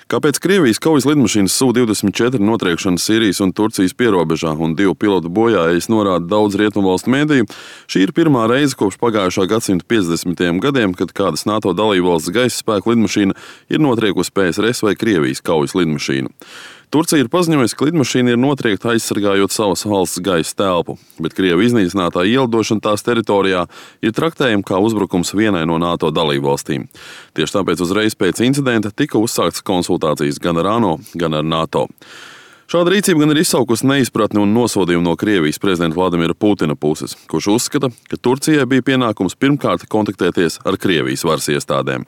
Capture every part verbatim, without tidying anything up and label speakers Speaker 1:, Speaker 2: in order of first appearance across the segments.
Speaker 1: Kāpēc Krievijas kaujas lidmašīnas S U divdesmit četri notriekšana Sīrijas un Turcijas pierobežā un divu pilotu bojājas norāda daudz rietumvalstu mēdīju, šī ir pirmā reize kopš pagājušā gadsimta piecdesmitajiem gadiem, kad kādas NATO dalībvalsts gaisa spēku lidmašīna ir notriekusi P S R S vai Krievijas kaujas lidmašīnu. Turcija ir paziņojusi, ka lidmašīna ir notriekta aizsargājot savas valsts gaisa telpu, bet Krievu iznīcinātā ielidošana tās teritorijā ir traktējama kā uzbrukums vienai no NATO dalībvalstīm. Tieši tāpēc uzreiz pēc incidenta tika uzsāktas konsultācijas gan ar ANO, gan ar NATO. Šāda rīcība gan ir izsaukusi neizpratni un nosodījumu no Krievijas prezidenta Vladimira Putina puses, kurš uzskata, ka Turcijai bija pienākums pirmkārt kontaktēties ar Krievijas varas iestādēm.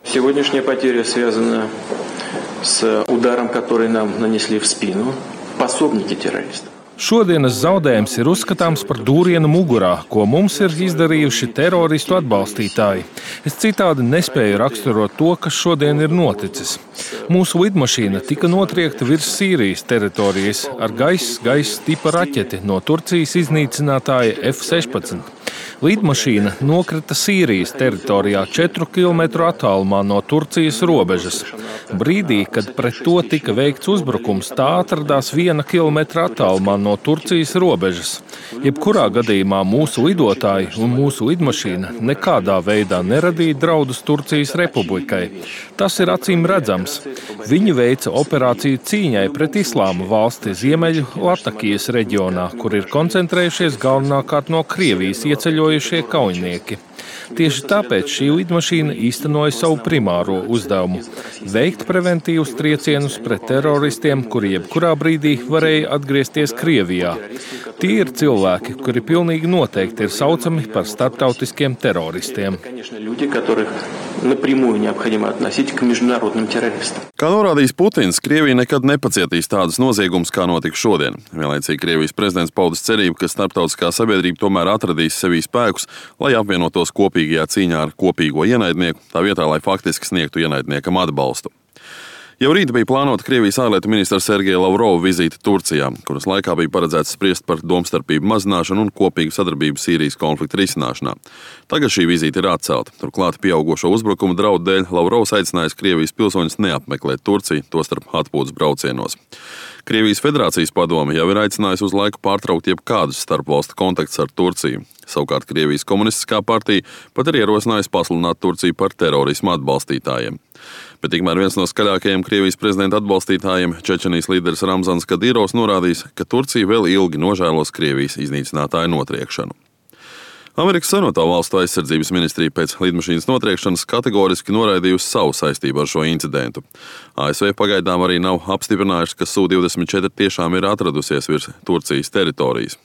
Speaker 2: С ударом, который нам нанесли в спину, пособники террористов.
Speaker 3: Šodienas zaudējums ir uzskatāms par dūrienu mugurā, ko mums ir izdarījuši teroristu atbalstītāji. Es citādi nespēju raksturot to, kas šodien ir noticis. Mūsu lidmašīna tika notriekta virs Sīrijas teritorijas ar gaisa gaisa tipa raķeti no Turcijas iznīcinātāja F sešpadsmit. Lidmašīna nokrita Sīrijas teritorijā četru kilometru attālumā no Turcijas robežas. Brīdī, kad pret to tika veikts uzbrukums, tā atradās viena kilometra attālumā no Turcijas robežas. Jebkurā gadījumā mūsu lidotāji un mūsu lidmašīna nekādā veidā neradīja draudus Turcijas republikai. Tas ir acīm redzams. Viņi veica operāciju cīņai pret Islāma valsti Ziemeļu Latakijas reģionā, kur ir koncentrējušies galvenokārt no Krievijas ieceļojušie kaujinieki. Tieši tāpēc šī lidmašīna īstenoja savu primāro uzdevumu – veikt preventīvus triecienus pret teroristiem, kuri jebkurā brīdī varēja atgriezties Krievijā. Tie ir cilvēki, kuri pilnīgi noteikti ir saucami par starptautiskiem teroristiem.
Speaker 1: Kā norādījis Putins, Krievija nekad nepacietīs tādus noziegumus, kā notika šodien. Vienlaicīgi Krievijas prezidents paudis cerību, ka starptautiskā sabiedrība tomēr atradīs sevī spēkus, lai apvienotos kopīgajā cīņā ar kopīgo ienaidnieku, tā vietā, lai faktiski sniegtu ienaidniekam atbalstu. Jau rīt bija plānota Krievijas ārlietu ministra Sergeja Lavrova vizīte Turcijā, kuras laikā bija paredzēts spriest par domstarpību mazināšanu un kopīgu sadarbību Sīrijas konflikta risināšanā. Tagad šī vizīte ir atcelta. Turklāt pieaugušo uzbrukumu draudu dēļ Lavrovs aicinājis Krievijas pilsoņus neapmeklēt Turciju, tostarp atpūtas braucienos. Krievijas Federācijas padome jau ir aicinājusi uz laiku pārtraukt jebkādus starpvalstu kontaktus ar Turciju. Savukārt Krievijas komunistiskā partija pat ir ierosinājusi pasludināt Turciju par terorismu atbalstītājiem. Bet tikmēr viens no skaļākajiem Krievijas prezidenta atbalstītājiem, Čečenijas līderis Ramzans Kadīrovs, norādījis, ka Turcija vēl ilgi nožēlos Krievijas iznīcinātāju notriekšanu. Amerikas Savienoto Valstu aizsardzības ministrija pēc lidmašīnas notriekšanas kategoriski noraidījusi savu saistību ar šo incidentu. A S V pagaidām arī nav apstiprinājuši, ka S U divdesmit četri tiešām ir atradusies virs Turcijas teritorijas.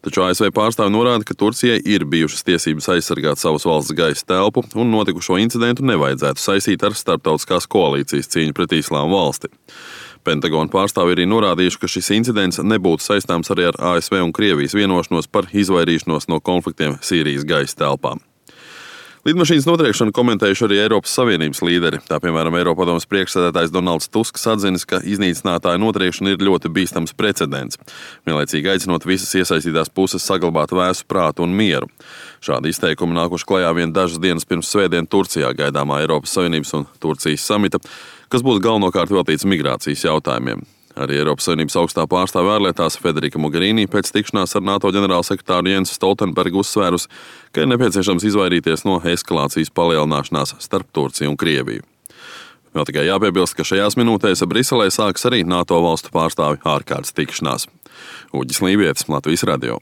Speaker 1: Taču A S V pārstāvi norāda, ka Turcijai ir bijušas tiesības aizsargāt savas valsts gaisa telpu un notikušo incidentu nevajadzētu saistīt ar starptautiskās koalīcijas cīņu pret Islāma valsti. Pentagona pārstāvi arī norādījuši, ka šis incidents nebūtu saistāms arī ar A S V un Krievijas vienošanos par izvairīšanos no konfliktiem Sīrijas gaisa telpām. Lidmašīnas notriekšanu komentējuši arī Eiropas Savienības līderi. Tā, piemēram, Eiropadomes priekšsēdētājs Donalds Tusks atzinis, ka iznīcinātāja notriekšana ir ļoti bīstams precedents, vienlaicīgi aicinot visas iesaistītās puses saglabāt vēsu prātu un mieru. Šādi izteikumi nākuši klajā vien dažas dienas pirms svētdien Turcijā gaidāmā Eiropas Savienības un Turcijas samita, kas būs galvenokārt veltīts migrācijas jautājumiem. Arī Eiropas Savienības augstā pārstāve ārlietās Federika Mogherini pēc tikšanās ar NATO ģenerālsekretāru Jensu Stoltenbergu uzsvērus, ka ir nepieciešams izvairīties no eskalācijas palielināšanās starp Turciju un Krieviju. Vēl tikai jāpiebilst, ka šajās minūtēs Briselē sāks arī NATO valstu pārstāvju ārkārtas tikšanās. Uģis Lībietis, Latvijas radio.